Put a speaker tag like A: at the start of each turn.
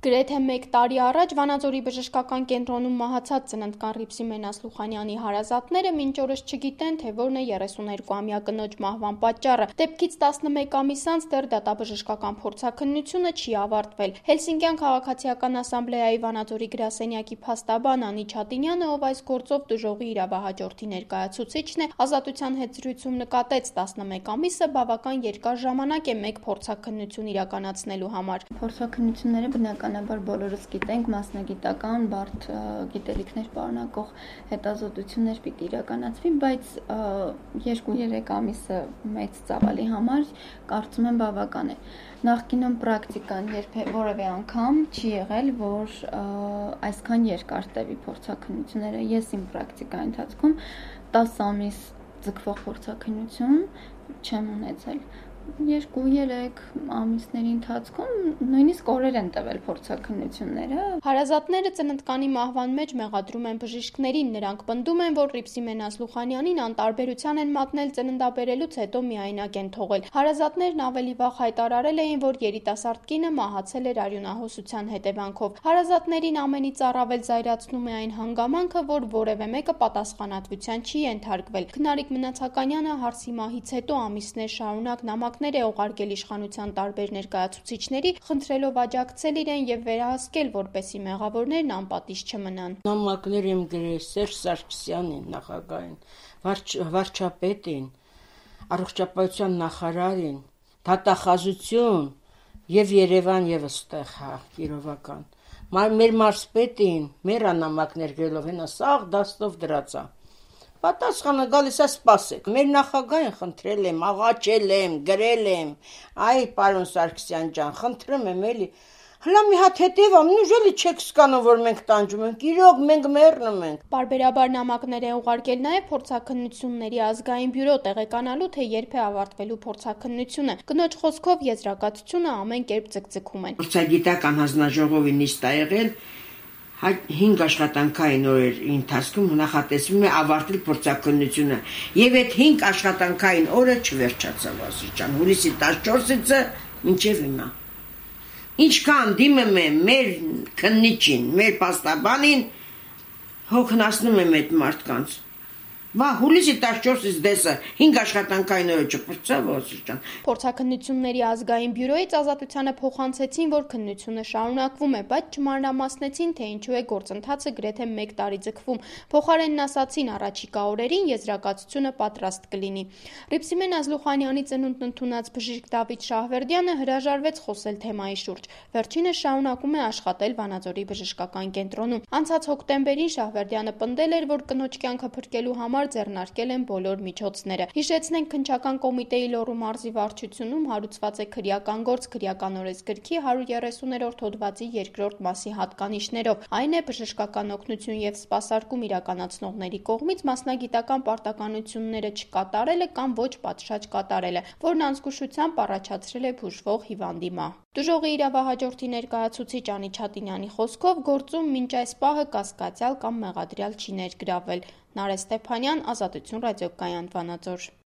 A: Գրեթե 1 տարի առաջ Վանաձորի բժշկական կենտրոնում մահացած ծննդկան Ռիփսիմեն Ասլուխանյանի հարազատները մինչ օրս չգիտեն, թե որն է 32-ամյա կնոջ մահվան պատճառը։ Դեպքից 11 ամիս անց դեռ դատաբժշկական փորձաքննությունը չի ավարտվել։ Հելսինկյան քաղաքացիական ասամբլեայի Վանաձորի գրասենյակի փաստաբան Անի Չատինյանը, ով այս գործով դժողի իրավահաջորդի ներկայացուցիչն է, Ազատության հետ զրույցում նկատեց 11 ամիսը բավական երկար ժամանակ է մեկ փորձաքննություն իրականացնելու համար։
B: Փորձաքննությունները բնականաբար բոլորս գիտենք, մասնագիտական, բարդ գիտելիքներ պարունակող հետազոտություններ պիտի իրականացվի, բայց 2-3 ամիսը մեծ ծավալի համար կարծում եմ բավական է։ Նախկինում պրակտիկան որևէ անգամ չի եղել, որ այսքան երկար տևի փորձաքննությունները։ Ես իմ պրակտիկայի ընթացքում 10 ամիս ձգվող փորձաքննություն չեմ ունեցել։ 2-3 ամիսների ընթացքում նույնիսկ օրեր են տևել փորձաքննությունները։
A: Հարազատները ծննդկանի մահվան մեջ մեղադրում են բժիշկներին։ Նրանք պնդում են, որ Ռիփսիմեն Ասլուխանյանին անտարբերության են մատնել ծննդաբերելուց հետո միայնակ են թողել։ Հարազատներն ավելի վաղ հայտարարել էին, որ երիտասարդ կինը մահացել էր արյունահոսության հետևանքով։ Հարազատներին ամենից առավել զայրացնում է այն հանգամանքը, որ որևէ մեկը պատասխանատվության չի ենթարկվել։ Քնարիկ Մնացականյանը հարսի մահից հետո ամիսներ շարունակ նամակներ է ուղարկել իշխանության տարբեր ներկայացուցիչների, խնդրելով աջակցել իրեն եւ վերահսկել, որպեսզի մեղավորներն անպատիժ չմնան։
C: Նամակներ եմ գրել Սերժ Սարգսյանին, նախագահին, վարչապետին, առողջապահության նախարարին, դատախազություն եւ Երևան եւս տեղ, Կիրովական։ Մեր մարզպետին, մեր նամակներ գրելով հենա սաղ դաստով դրածա։ Պատասխանը գալիս է սպասեք։ Մեր նախագահին խնդրել եմ, աղաչել եմ, գրել եմ, այ պարոն Սարգսյան ջան, խնդրում եմ էլի։ Հլա մի հատ հետևամ, ուժելի չեք սկանում, որ մենք տանջում ենք, իրոք մենք մեռնում ենք։
A: Պարբերաբար նամակներ է ուղարկել նաև փորձաքննությունների ազգային բյուրո տեղեկանալու, թե երբ է ավարտվելու փորձաքննությունը։ Կնոջ խոսքով եզրակացությունը ամեն կերպ ձգձգում են։
C: Փորձագիտական հանձնաժողովի նիստ ա եղել, 5 աշխատանքային օրերի ընթացքում նախատեսվում է ավարտել փորձաքննությունը, եւ այդ 5 աշխատանքային օրը չվերջացավ ասիճան, հուլիսի 14-ը մինչեւ հիմա։ Ինչքան դիմում եմ մեր քննիչին, մեր պաստաբանին, հոգնածնում եմ այդ մարդկանց։ Հուլիսի 14-ից դեսը 5 աշխատանքային օրը չփրկցավ ասիճան։
A: Փորձաքննությունների ազգային բյուրոից Ազատությանը փոխանցեցին, որ քննությունը շարունակվում է, բայց չմանրամասնեցին, թե ինչու է գործընթացը գրեթե 1 տարի ձգվում։ Փոխարենն ասացին, առաջիկա օրերին եզրակացությունը պատրաստ կլինի։ Ռիփսիմեն Ասլուխանյանի ծնունդն ընդունած բժիշկ Դավիթ Շահվերդյանը հրաժարվեց խոսել թեմայի շուրջ։ Վերջինս շարունակում է աշխատել Վանաձորի բժշկական կենտրոնում։ Անցած հոկտեմբերին Շահվերդյանը պնդել էր, որ կնոջ կյանքը փրկելու համար ձեռնարկել են բոլոր միջոցները։ Հիշեցնենք, քննչական կոմիտեի Լոռու մարզի վարչությունում հարուցված է քրեական գործ քրեական օրենսգրքի 130-րդ հոդվածի 2-րդ մասի հատկանիշներով։ Այն է բժշկական օգնություն եւ սպասարկում իրականացնողների կողմից մասնագիտական պարտականությունները չկատարելը կամ ոչ պատշաճ կատարելը, որն անզգուշությամբ առաջացրել է բուժվող հիվանդի մահ։ Դժողի իրավահաջորդի ներկայացուցիչ Անի Չատինյանի խոսքով գործում մինչ այս պահը կասկածյալ կամ մեղադրյալ չի ներգրավվել։ Նարէ Ստեփանյան, Ազատություն ռադիոկայան, Վանաձոր։